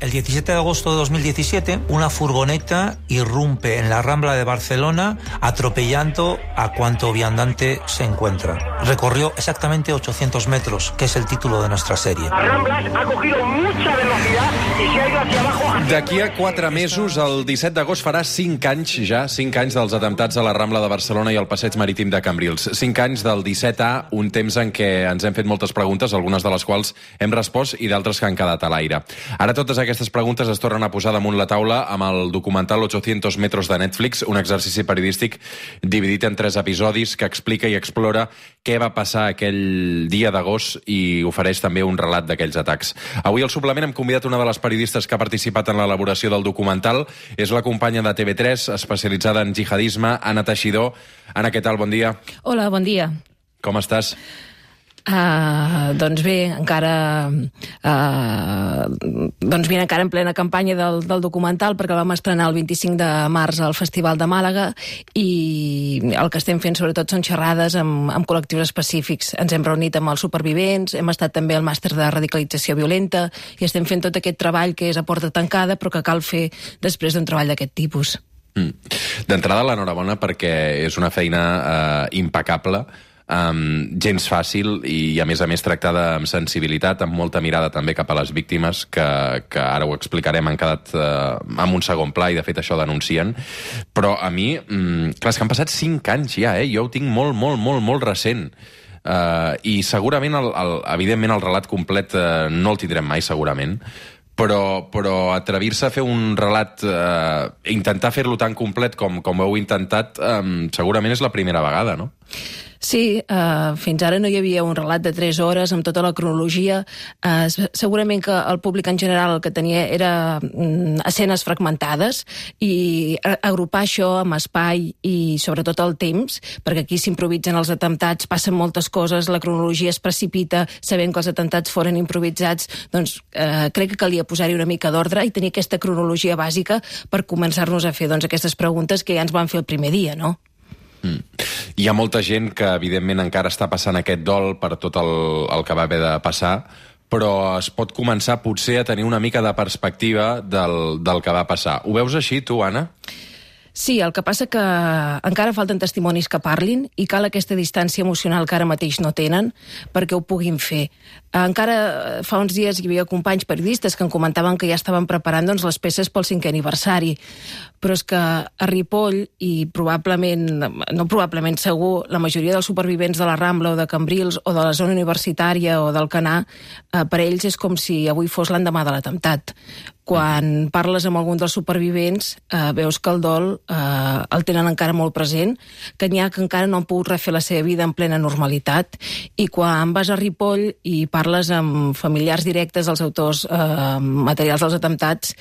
El 17 de agosto de 2017, una furgoneta irrumpe en la Rambla de Barcelona atropellando a cuanto viandante se encuentra. Recorrió exactamente 800 metros, que es el título de nuestra serie. La Rambla ha cogido mucha velocidad y se ha ido hacia abajo. D'aquí a 4 mesos, el 17 d'agost farà 5 anys ja, 5 anys dels atemptats a la Rambla de Barcelona i al Passeig Marítim de Cambrils. 5 anys del 17A, un temps en què ens hem fet moltes preguntes, algunes de les quals hem respost i d'altres que han quedat a l'aire. Ara totes aquestes preguntes es tornen a posar damunt la taula amb el documental 800 metros de Netflix, un exercici periodístic dividit en 3 episodis que explica i explora què va passar aquell dia d'agost i ofereix també un relat d'aquells atacs. Avui al suplement hem convidat una de les periodistes que ha participat en l'elaboració del documental. És la companya de TV3, especialitzada en jihadisme, Anna Teixidor. Anna, què tal? Bon dia. Hola, bon dia. Com estàs? Doncs bé, encara en plena campanya del documental, perquè el vam estrenar el 25 de març al Festival de Màlaga i el que estem fent sobretot són xerrades amb col·lectius específics. Ens hem reunit amb els supervivents, hem estat també al màster de radicalització violenta i estem fent tot aquest treball que és a porta tancada però que cal fer després d'un treball d'aquest tipus. D'entrada, l'enhorabona perquè és una feina impecable, gens fàcil i a més tractada amb sensibilitat, amb molta mirada també cap a les víctimes, que ara ho explicarem, han quedat en un segon pla i de fet això denuncien. Però a mi, clar, és que han passat 5 anys ja, jo ho tinc molt recent. I segurament, evidentment, el relat complet no el tindrem mai, segurament, però atrevir-se a fer un relat, intentar fer-lo tan complet com heu intentat, segurament és la primera vegada, no? Sí, fins ara no hi havia un relat de 3 hores amb tota la cronologia. Segurament que el públic en general el que tenia era escenes fragmentades i agrupar això amb espai i sobretot el temps, perquè aquí s'improvisen els atemptats, passen moltes coses, la cronologia es precipita, sabent que els atemptats foren improvisats, doncs crec que calia posar-hi una mica d'ordre i tenir aquesta cronologia bàsica per començar-nos a fer aquestes preguntes que ja ens van fer el primer dia, no? Hi ha molta gent que evidentment encara està passant aquest dol per tot el que va haver de passar, però es pot començar potser a tenir una mica de perspectiva del que va passar. Ho veus així, tu, Anna? Sí, el que passa que encara falten testimonis que parlin i cal aquesta distància emocional que ara mateix no tenen perquè ho puguin fer. Encara fa uns dies hi havia companys periodistes que em comentaven que ja estaven preparant les peces pel 5è aniversari, però és que a Ripoll i probablement segur, la majoria dels supervivents de la Rambla o de Cambrils o de la zona universitària o d'Alcanar, per ells és com si avui fos l'endemà de l'atemptat. Quan parles amb algun dels supervivents veus que el dol el tenen encara molt present, que n'hi ha que encara no han pogut refer la seva vida en plena normalitat, i quan vas a Ripoll i parles amb familiars directes dels autors materials dels atemptats,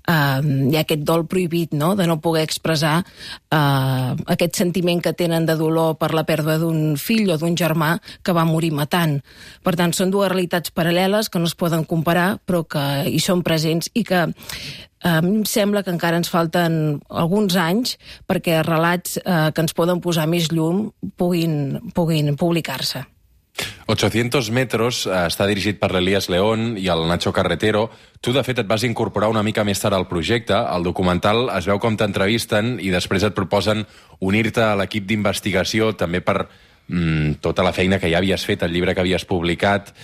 hi ha aquest dol prohibit, no?, de no poder expressar aquest sentiment que tenen de dolor per la pèrdua d'un fill o d'un germà que va morir matant. Per tant, són 2 realitats paral·leles que no es poden comparar, però que hi són presents i que a mi em sembla que encara ens falten alguns anys perquè relats que ens poden posar més llum puguin publicar-se. 800 metros està dirigit per l'Elías León i el Nacho Carretero. Tu, de fet, et vas incorporar una mica més tard al projecte. Al documental es veu com t'entrevisten i després et proposen unir-te a l'equip d'investigació també per tota la feina que ja havies fet, el llibre que havies publicat.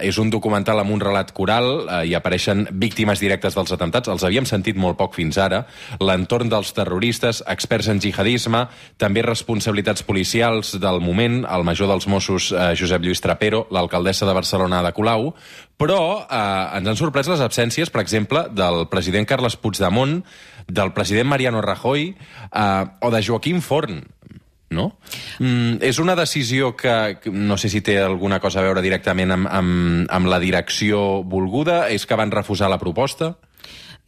És un documental amb un relat coral, hi apareixen víctimes directes dels atemptats, els havíem sentit molt poc fins ara, l'entorn dels terroristes, experts en jihadisme, també responsabilitats policials del moment, el major dels Mossos, Josep Lluís Trapero, l'alcaldessa de Barcelona, Ada Colau, però ens han sorprès les absències, per exemple, del president Carles Puigdemont, del president Mariano Rajoy o de Joaquim Forn, no? És una decisió que no sé si té alguna cosa a veure directament amb la direcció volguda? És que van refusar la proposta?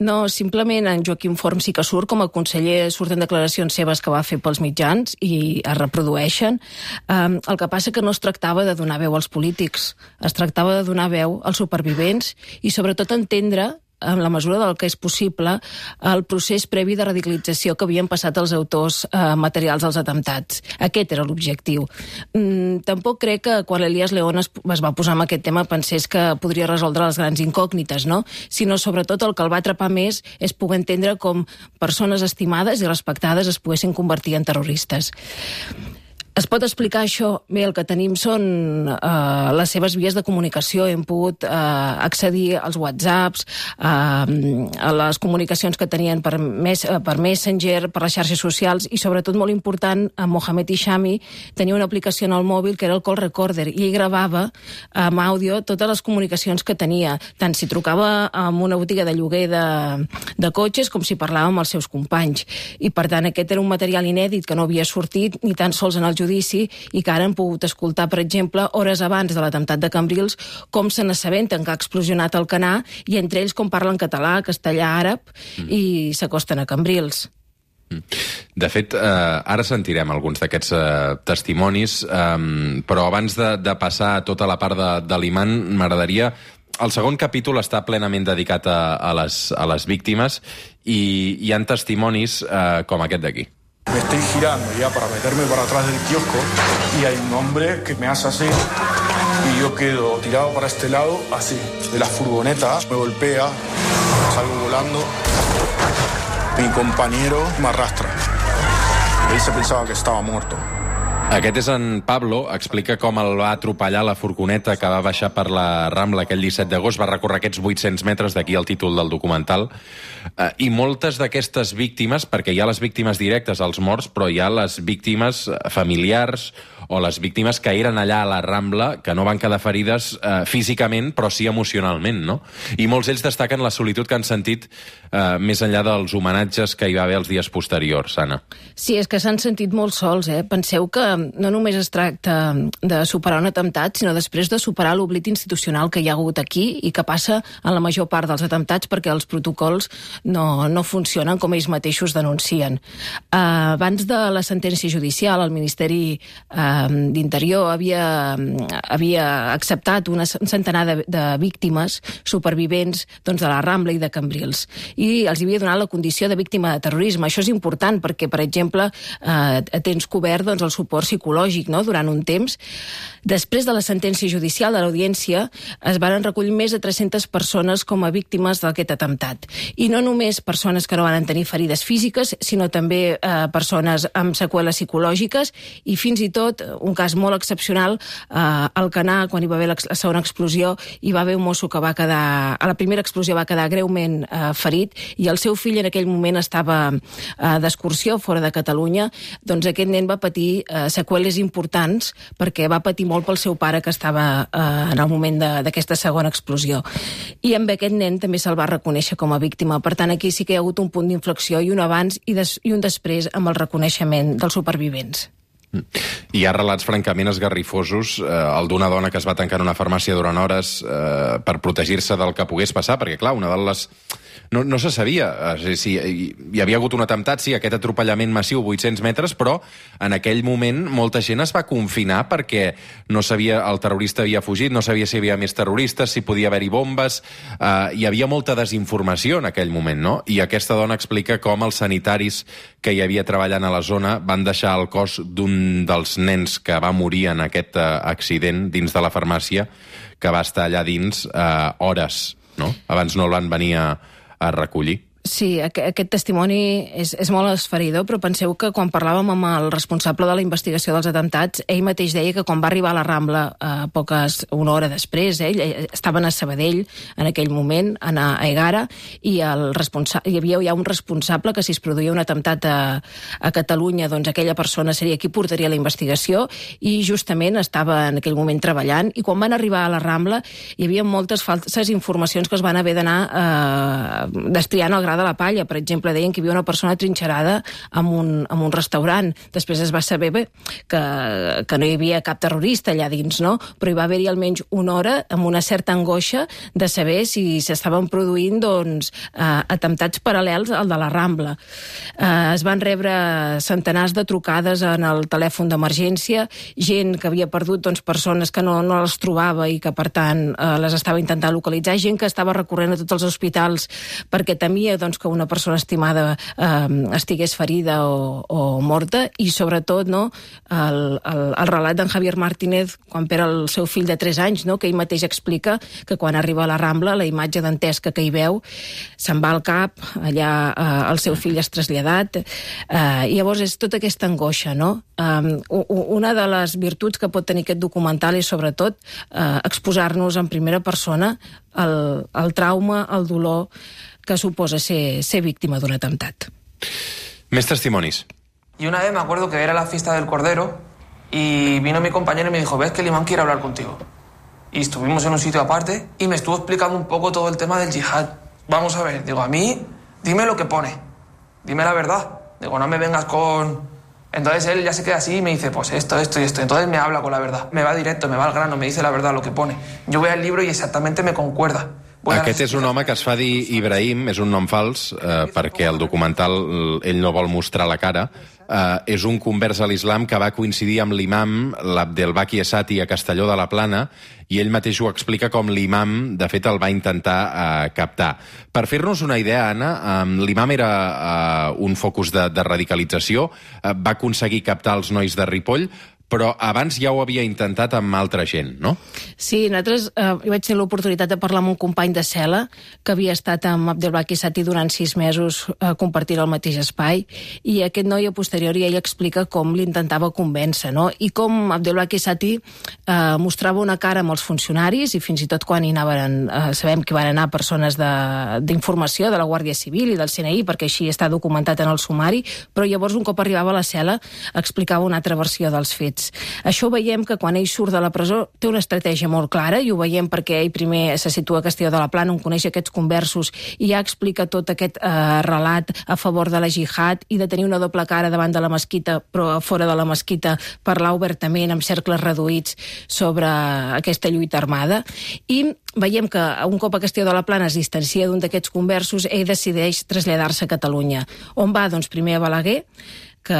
No, simplement en Joaquim Forn sí que surt, com a conseller surten declaracions seves que va fer pels mitjans i es reprodueixen. El que passa que no es tractava de donar veu als polítics, es tractava de donar veu als supervivents i sobretot entendre en la mesura del que és possible, el procés previ de radicalització que havien passat els autors materials dels atemptats. Aquest era l'objectiu. Tampoc crec que quan Elías León es va posar en aquest tema pensés que podria resoldre les grans incògnites, no? Sinó sobretot el que el va atrapar més és poder entendre com persones estimades i respectades es poguessin convertir en terroristes. Es pot explicar això? Bé, el que tenim són les seves vies de comunicació. Hem pogut accedir als whatsapps, a les comunicacions que tenien per Messenger, per les xarxes socials, i sobretot molt important, Mohamed Hishami tenia una aplicació en el mòbil que era el call recorder, i ell gravava amb àudio totes les comunicacions que tenia, tant si trucava en una botiga de lloguer de cotxes com si parlava amb els seus companys. I per tant aquest era un material inèdit que no havia sortit ni tan sols en el judici, i que ara hem pogut escoltar, per exemple, hores abans de l'atemptat de Cambrils, com se n'assabenten que ha explosionat el Canà, i entre ells com parlen català, castellà, àrab, i s'acosten a Cambrils. De fet, ara sentirem alguns d'aquests testimonis, però abans de passar a tota la part de l'imam, m'agradaria... El segon capítol està plenament dedicat a les víctimes, i hi ha testimonis com aquest d'aquí. Me estoy girando ya para meterme para atrás del kiosco y hay un hombre que me hace así y yo quedo tirado para este lado, así, de la furgoneta, me golpea, salgo volando, mi compañero me arrastra. Él se pensaba que estaba muerto. Aquest és en Pablo, explica com el va atropellar la furgoneta que va baixar per la Rambla aquell 17 d'agost, va recórrer aquests 800 metres, d'aquí el títol del documental, i moltes d'aquestes víctimes, perquè hi ha les víctimes directes, els morts, però hi ha les víctimes familiars o les víctimes que eren allà a la Rambla, que no van quedar ferides físicament, però sí emocionalment, no? I molts d'ells destaquen la solitud que han sentit més enllà dels homenatges que hi va haver els dies posteriors, Anna. Sí, és que s'han sentit molt sols, Penseu que no només es tracta de superar un atemptat, sinó després de superar l'oblit institucional que hi ha hagut aquí i que passa en la major part dels atemptats perquè els protocols no funcionen com ells mateixos denuncien. Abans de la sentència judicial, el Ministeri d'Interior havia acceptat un centenar de víctimes supervivents de la Rambla i de Cambrils, i els havia donat la condició de víctima de terrorisme. Això és important perquè, per exemple, tens cobert el suport psicològic durant un temps. Després de la sentència judicial de l'audiència es van recollir més de 300 persones com a víctimes d'aquest atemptat. I no només persones que no van tenir ferides físiques, sinó també persones amb seqüeles psicològiques, i fins i tot, un cas molt excepcional, al Canà, quan hi va haver la segona explosió, hi va haver un mosso que va quedar... A la primera explosió va quedar greument ferit, i el seu fill en aquell moment estava d'excursió fora de Catalunya. Doncs aquest nen va patir seqüeles importants perquè va patir molt pel seu pare, que estava en el moment d'aquesta segona explosió. I amb aquest nen també se'l va reconèixer com a víctima. Per tant, aquí sí que hi ha hagut un punt d'inflexió, i un abans i un després amb el reconeixement dels supervivents. Hi ha relats francament esgarrifosos, el d'una dona que es va tancar en una farmàcia durant hores per protegir-se del que pogués passar, perquè clar, una de les... No se sabia si hi havia hagut un atemptat, sí, aquest atropellament massiu, 800 metres, però en aquell moment molta gent es va confinar perquè no sabia, el terrorista havia fugit, no sabia si hi havia més terroristes, si podia haver-hi bombes, hi havia molta desinformació en aquell moment, no? I aquesta dona explica com els sanitaris que hi havia treballant a la zona van deixar el cos d'un dels nens que va morir en aquest accident dins de la farmàcia, que va estar allà dins hores, no? Abans no el van venir a recollir. Sí, aquest testimoni és molt esferidor, però penseu que quan parlàvem amb el responsable de la investigació dels atemptats, ell mateix deia que quan va arribar a la Rambla una hora després, estaven a Sabadell en aquell moment, a Egara, i hi havia ja un responsable que si es produïa un atemptat a Catalunya, doncs aquella persona seria qui portaria la investigació, i justament estava en aquell moment treballant, i quan van arribar a la Rambla hi havia moltes falses informacions que es van haver d'anar destriant al gra de la palla. Per exemple, deien que hi havia una persona trinxerada en un restaurant. Després es va saber que no hi havia cap terrorista allà dins, no? Però hi va haver-hi almenys una hora amb una certa angoixa de saber si s'estaven produint atemptats paral·lels al de la Rambla. Es van rebre centenars de trucades en el telèfon d'emergència, gent que havia perdut persones que no les trobava i que, per tant, les estava intentant localitzar, gent que estava recorrent a tots els hospitals perquè temia que una persona estimada estigués ferida o morta, i sobretot el relat d'en Javier Martínez quan perd el seu fill de 3 anys, que ell mateix explica que quan arriba a la Rambla la imatge dantesca que hi veu se'n va al cap, allà el seu fill és traslladat, i llavors és tota aquesta angoixa, no? Una de les virtuts que pot tenir aquest documental és sobretot exposar-nos en primera persona el trauma, el dolor que suposa ser víctima d'un atemptat. Més testimonis. Y una vez me acuerdo que era la fiesta del Cordero y vino mi compañero y me dijo, ves que el imán quiere hablar contigo. Y estuvimos en un sitio aparte y me estuvo explicando un poco todo el tema del yihad. Vamos a ver, digo, a mí, dime lo que pone, dime la verdad. Digo, no me vengas con... Entonces él ya se queda así y me dice, pues esto y esto. Entonces me habla con la verdad. Me va directo, me va al grano, me dice la verdad, lo que pone. Yo voy al libro y exactamente me concuerda. Aquest és un home que es fa dir Ibrahim, és un nom fals, perquè el documental ell no vol mostrar la cara. És un convers a l'islam que va coincidir amb l'imam l'Abdelbaki Esati a Castelló de la Plana, i ell mateix ho explica com l'imam, de fet, el va intentar captar. Per fer-nos una idea, Anna, l'imam era un focus de radicalització, va aconseguir captar els nois de Ripoll, però abans ja ho havia intentat amb altra gent, no? Sí, nosaltres jo vaig tenir l'oportunitat de parlar amb un company de cel·la que havia estat amb Abdelbaki Esati durant 6 mesos compartint el mateix espai, i aquest noi a posteriori ell explica com l'intentava convèncer, no? I com Abdelbaki Esati mostrava una cara amb els funcionaris, i fins i tot quan hi anaven, sabem que van anar persones d'informació de la Guàrdia Civil i del CNI, perquè així està documentat en el sumari, però llavors un cop arribava a la cel·la explicava una altra versió dels fets. Això ho veiem que quan ell surt de la presó té una estratègia molt clara, i ho veiem perquè ell primer se situa a Castelló de la Plana, on coneix aquests conversos i ja explica tot aquest relat a favor de la jihad i de tenir una doble cara davant de la mesquita, però fora de la mesquita parlar obertament amb cercles reduïts sobre aquesta lluita armada. I veiem que un cop a Castelló de la Plana es distancia d'un d'aquests conversos, ell decideix traslladar-se a Catalunya. On va? Doncs primer a Balaguer, que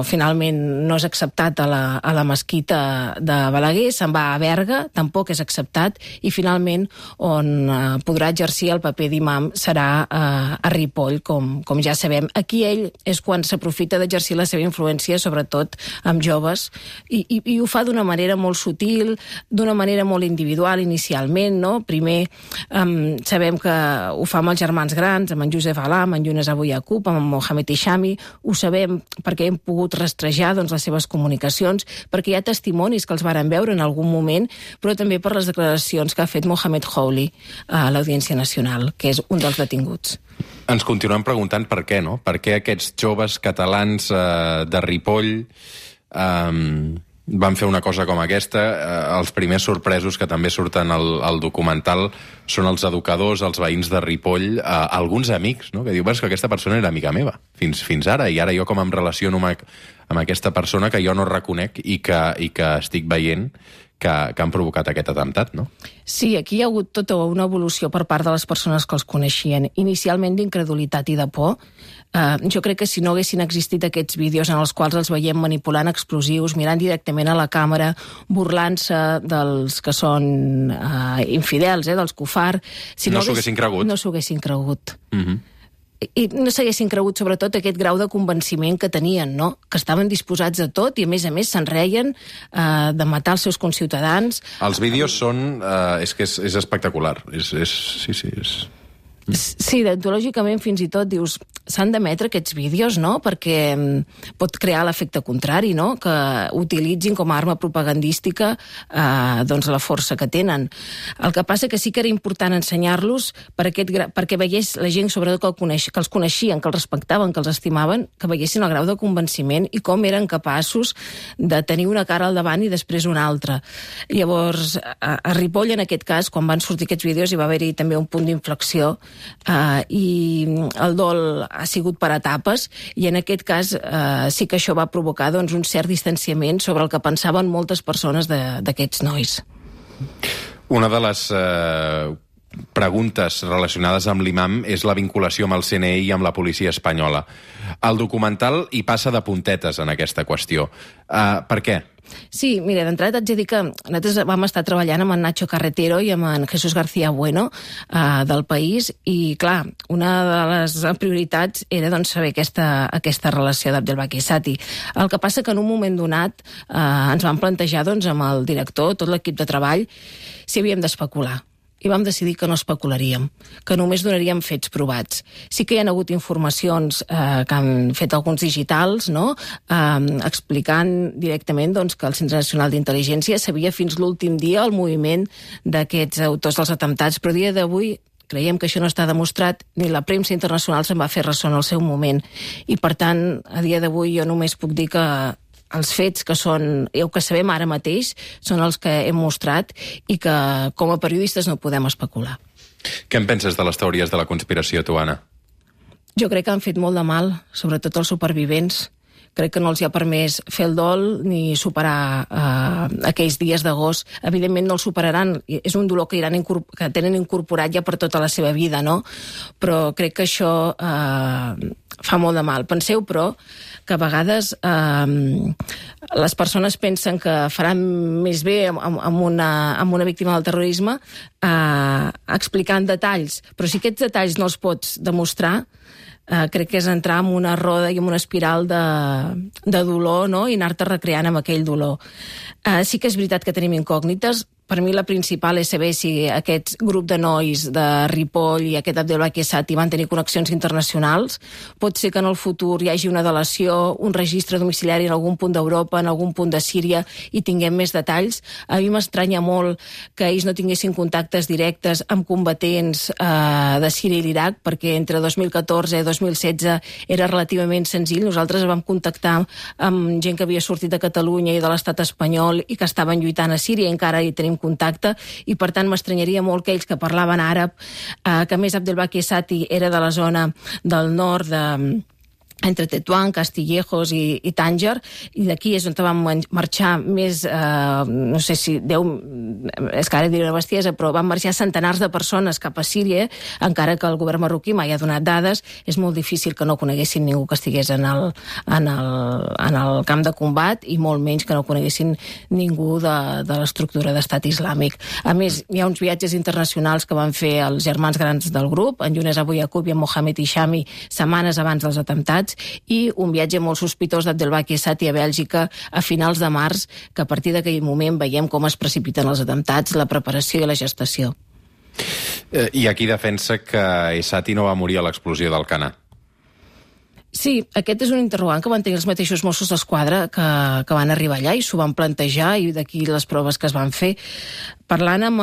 finalment no és acceptat a la mesquita de Balaguer, se'n va a Berga, tampoc és acceptat, i finalment on podrà exercir el paper d'imam serà a Ripoll, com ja sabem. Aquí ell és quan s'aprofita d'exercir la seva influència, sobretot amb joves, i ho fa d'una manera molt sutil, d'una manera molt individual inicialment, no? Primer sabem que ho fa amb els germans grans, amb en Josep Alà, amb en Younes Abu Yaqub, amb en Mohamed Ishami. Ho sabem perquè hem pogut rastrejar les seves comunicacions, perquè hi ha testimonis que els varen veure en algun moment, però també per les declaracions que ha fet Mohamed Houli a l'Audiència Nacional, que és un dels detinguts. Ens continuem preguntant per què, no? Per què aquests joves catalans de Ripoll van fer una cosa com aquesta. Els primers sorpresos que també surten al documental són els educadors, els veïns de Ripoll, alguns amics, no? Que diu, que aquesta persona era amiga meva fins ara, i ara jo com em relaciono amb aquesta persona que jo no reconec i que estic veient que han provocat aquest atemptat, no? Sí, aquí hi ha hagut tota una evolució per part de les persones que els coneixien. Inicialment d'incredulitat i de por. Jo crec que si no haguessin existit aquests vídeos en els quals els veiem manipulant explosius, mirant directament a la càmera, burlant-se dels que són infidels, dels kufar... No s'ho haguessin cregut. No s'ho haguessin cregut. I no s'haguessin cregut, sobretot, aquest grau de convenciment que tenien, no? Que estaven disposats a tot i, a més se'n reien de matar els seus conciutadans. Els vídeos són... és que és espectacular. Sí, deontològicament fins i tot dius s'han d'emetre aquests vídeos, no? Perquè pot crear l'efecte contrari, no? Que utilitzin com a arma propagandística la força que tenen. El que passa que sí que era important ensenyar-los perquè veiés la gent, sobretot que els coneixien, que els respectaven, que els estimaven, que veiessin el grau de convenciment i com eren capaços de tenir una cara al davant i després una altra. Llavors, a Ripoll, en aquest cas, quan van sortir aquests vídeos, hi va haver-hi també un punt d'inflexió i el dol ha sigut per etapes, i en aquest cas sí que això va provocar doncs, un cert distanciament sobre el que pensaven moltes persones d'aquests nois. Una de les preguntes relacionades amb l'imam és la vinculació amb el CNI i amb la policia espanyola. El documental hi passa de puntetes en aquesta qüestió. Per què? Sí, mira, d'entrada t'haig de dir que nosaltres vam estar treballant amb en Nacho Carretero i amb en Jesús García Bueno del País, i clar, una de les prioritats era doncs, saber aquesta relació d'Abdelbaki Sati. El que passa que en un moment donat ens vam plantejar doncs, amb el director, tot l'equip de treball, si havíem d'especular. I vam decidir que no especularíem, que només donaríem fets provats. Sí que hi ha hagut informacions que han fet alguns digitals, no? Explicant directament doncs, que el Centre Nacional d'Intel·ligència sabia fins l'últim dia el moviment d'aquests autors dels atemptats, però a dia d'avui creiem que això no està demostrat, ni la premsa internacional se'n va fer ressò en el seu moment. I per tant, a dia d'avui jo només puc dir que els fets que són, el que sabem ara mateix, són els que hem mostrat i que com a periodistes no podem especular. Què en penses de les teories de la conspiració, tu, Anna? Jo crec que han fet molt de mal, sobretot els supervivents. Crec que no els hi ha permès fer el dol ni superar aquells dies d'agost. Evidentment no el superaran, és un dolor que tenen incorporat ja per tota la seva vida, no? Però crec que això fa molt de mal. Penseu, però, que a vegades les persones pensen que faran més bé amb una víctima del terrorisme explicant detalls, però si aquests detalls no els pots demostrar, crec que és entrar en una roda i en una espiral de dolor, no? I anar-te recreant amb aquell dolor. Sí que és veritat que tenim incògnites. Per mi la principal és saber si aquest grup de nois de Ripoll i aquest Abdelbaki Sati van tenir connexions internacionals. Pot ser que en el futur hi hagi una delació, un registre domiciliari en algun punt d'Europa, en algun punt de Síria, i tinguem més detalls. A mi m'estranya molt que ells no tinguessin contactes directes amb combatents de Síria i l'Iraq, perquè entre 2014 i 2016 era relativament senzill. Nosaltres vam contactar amb gent que havia sortit de Catalunya i de l'estat espanyol i que estaven lluitant a Síria, i encara hi tenim contacte, i per tant m'estranyaria molt que ells que parlaven àrab, que més Abdelbaki Sati era de la zona del nord entre Tetuán, Castillejos i Tànger, i d'aquí és on vam marxar més, no sé si 10, és que ara diré una bestiesa, però van marxar centenars de persones cap a Síria, encara que el govern marroquí mai ha donat dades. És molt difícil que no coneguessin ningú que estigués en el camp de combat, i molt menys que no coneguessin ningú de l'estructura d'estat islàmic. A més, hi ha uns viatges internacionals que van fer els germans grans del grup, en Younes Abou Yacoub i en Mohamed Hishami, setmanes abans dels atemptats, i un viatge molt sospitós d'Abdelbaki Sati a Bèlgica a finals de març, que a partir d'aquell moment veiem com es precipiten els atemptats, la preparació i la gestació. I aquí defensa que Sati no va morir a l'explosió d'Alcanar. Sí, aquest és un interrogant que van tenir els mateixos Mossos d'Esquadra que van arribar allà i s'ho van plantejar, i d'aquí les proves que es van fer. Parlant amb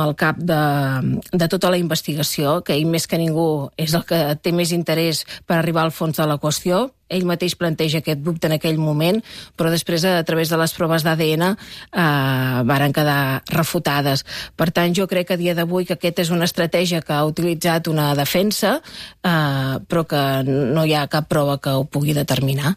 el cap de tota la investigació, que ell més que ningú és el que té més interès per arribar al fons de la qüestió, ell mateix planteja aquest dubte en aquell moment, però després, a través de les proves d'ADN, varen quedar refutades. Per tant, jo crec que a dia d'avui que aquesta és una estratègia que ha utilitzat una defensa, però que no hi ha cap prova que ho pugui determinar.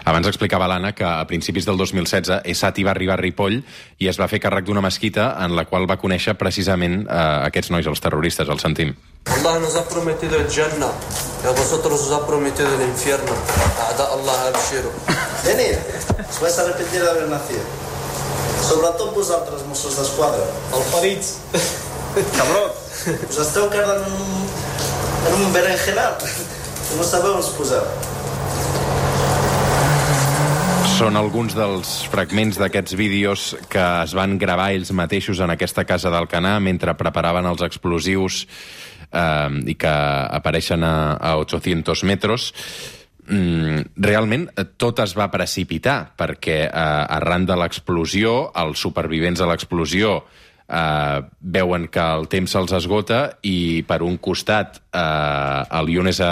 Abans explicava l'Anna que a principis del 2016 Sati va arribar a Ripoll i es va fer càrrec d'una mesquita en la qual va conèixer precisament aquests nois, els terroristes. El sentim. Allah nos ha prometido el Jannah y a vosotros os ha prometido el infierno. A'da Allah abshiru. Venid, us vais arrepentir d'haver nacido. Sobretot vosaltres, Mossos d'Esquadra. Alfarits. Cabró, us esteu quedant en un berenjenal que no sabeu on us poseu. Són alguns dels fragments d'aquests vídeos que es van gravar ells mateixos en aquesta casa d'Alcanar mentre preparaven els explosius i que apareixen a 800 metres. Realment tot es va precipitar perquè arran de l'explosió, els supervivents de l'explosió veuen que el temps se'ls esgota i per un costat el Younes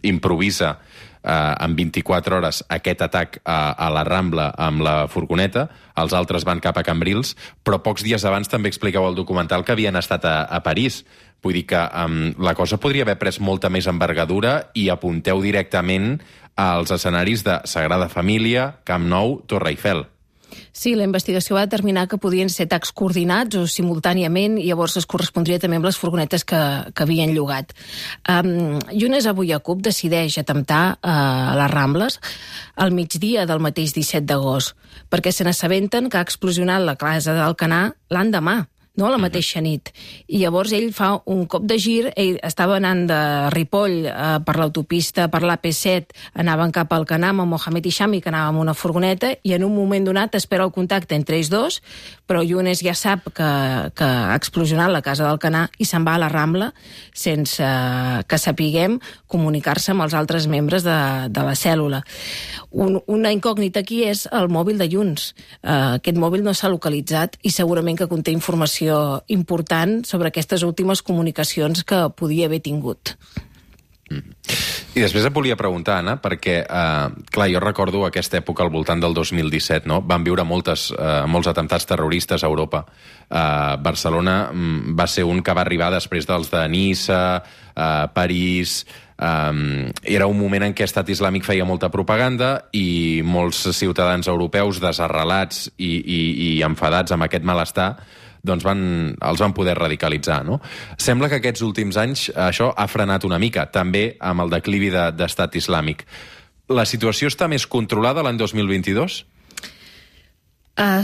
improvisa en 24 hores aquest atac a la Rambla amb la furgoneta, els altres van cap a Cambrils, però pocs dies abans també explicau al documental que havien estat a París. Vull dir que la cosa podria haver pres molta més envergadura i apunteu directament als escenaris de Sagrada Família, Camp Nou, Torre Eiffel. Sí, la investigació va determinar que podien ser atacs coordinats o simultàniament i llavors es correspondria també amb les furgonetes que havien llogat. Younes Abu Yaqub decideix atemptar a les Rambles al migdia del mateix 17 d'agost perquè se n'assabenten que ha explosionat la casa d'Alcanar l'endemà, no la mateixa nit. I llavors ell fa un cop de gir, ell estava anant de Ripoll per l'autopista, per l'AP7, anaven cap al Alcanar amb Mohamed Hishami, que anava amb una furgoneta, i en un moment donat espera el contacte entre ells dos, però Younes ja sap que ha explosionat la casa d'Alcanar i se'n va a la Rambla sense que sapiguem comunicar-se amb els altres membres de la cèl·lula. Una incògnita aquí és el mòbil de Younes. Aquest mòbil no s'ha localitzat i segurament que conté informació important sobre aquestes últimes comunicacions que podia haver tingut. I després et volia preguntar, Anna, perquè, clar, jo recordo aquesta època al voltant del 2017, no? Vam viure molts atemptats terroristes a Europa. Barcelona va ser un que va arribar després dels de Niça, París. Era un moment en què Estat Islàmic feia molta propaganda i molts ciutadans europeus desarrelats i enfadats amb aquest malestar doncs els van poder radicalitzar, no? Sembla que aquests últims anys això ha frenat una mica, també amb el declivi d'Estat Islàmic. La situació està més controlada l'any 2022?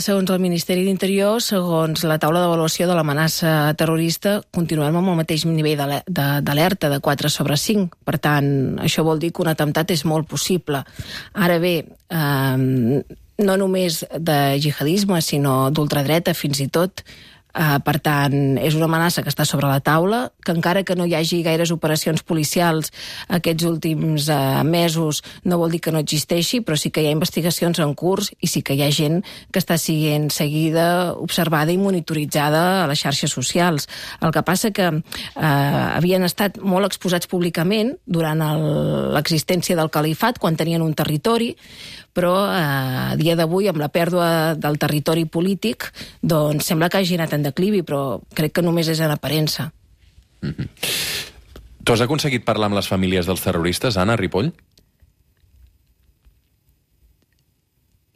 Segons el Ministeri d'Interior, segons la taula d'avaluació de l'amenaça terrorista, continuem amb el mateix nivell d'alerta de 4/5. Per tant, això vol dir que un atemptat és molt possible. Ara bé, no només de jihadisme, sinó d'ultradreta fins i tot. Per tant, és una amenaça que està sobre la taula, que encara que no hi hagi gaires operacions policials aquests últims mesos no vol dir que no existeixi, però sí que hi ha investigacions en curs i sí que hi ha gent que està sent seguida, observada i monitoritzada a les xarxes socials. El que passa que havien estat molt exposats públicament durant l'existència del califat, quan tenien un territori, però a dia d'avui, amb la pèrdua del territori polític, doncs sembla que hagi anat en declivi, però crec que només és en aparença. Tu has aconseguit parlar amb les famílies dels terroristes, Anna, a Ripoll?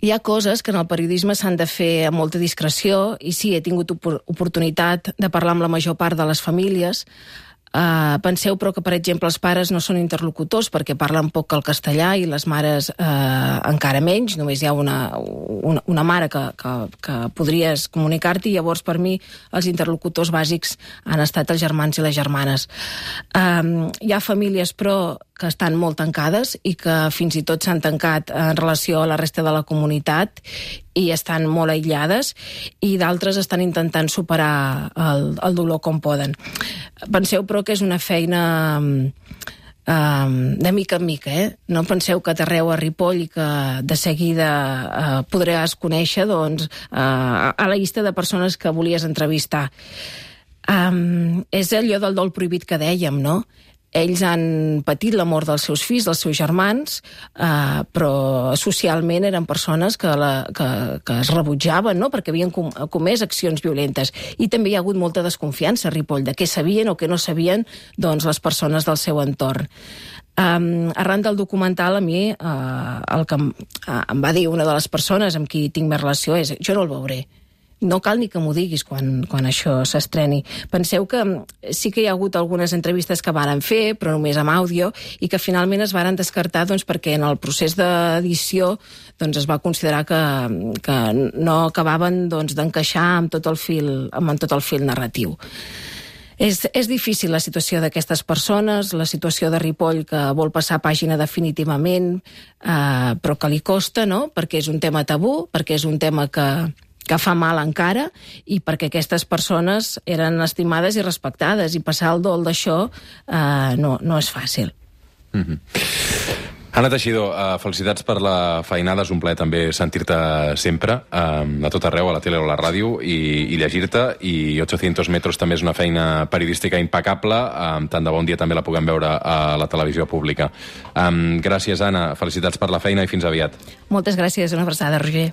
Hi ha coses que en el periodisme s'han de fer amb molta discreció i sí, he tingut oportunitat de parlar amb la major part de les famílies. Penseu, però, que, per exemple, els pares no són interlocutors perquè parlen poc el castellà i les mares encara menys. Només hi ha una mare que podries comunicar-t'hi i llavors, per mi, els interlocutors bàsics han estat els germans i les germanes. Hi ha famílies, però, que estan molt tancades i que fins i tot s'han tancat en relació a la resta de la comunitat i estan molt aïllades, i d'altres estan intentant superar el dolor com poden. Penseu, però, que és una feina de mica en mica, No penseu que t'arreu a Ripoll i que de seguida podràs conèixer a la llista de persones que volies entrevistar. És allò del dol prohibit que dèiem, no? Ells han patit la mort dels seus fills, dels seus germans, però socialment eren persones que es rebutjaven, no?, perquè havien comès accions violentes. I també hi ha hagut molta desconfiança a Ripoll de què sabien o què no sabien les persones del seu entorn. Arran del documental, a mi el que em va dir una de les persones amb qui tinc més relació és: jo no el veuré. No cal ni que m'ho diguis quan això s'estreni. Penseu que sí que hi ha hagut algunes entrevistes que varen fer, però només amb àudio, i que finalment es varen descartar perquè en el procés d'edició es va considerar que no acabaven d'encaixar amb tot el fil narratiu. És difícil la situació d'aquestes persones, la situació de Ripoll, que vol passar pàgina definitivament, però que li costa, no?, perquè és un tema tabú, perquè és un tema que fa mal encara, i perquè aquestes persones eren estimades i respectades, i passar el dol d'això no és fàcil. Anna Teixidor, felicitats per la feinada, és un plaer també sentir-te sempre, a tot arreu, a la tele o a la ràdio, i llegir-te, i 800 metros també és una feina periodística impecable, tant de bon dia també la puguem veure a la televisió pública. Gràcies, Anna, felicitats per la feina i fins aviat. Moltes gràcies, una abraçada, Roger.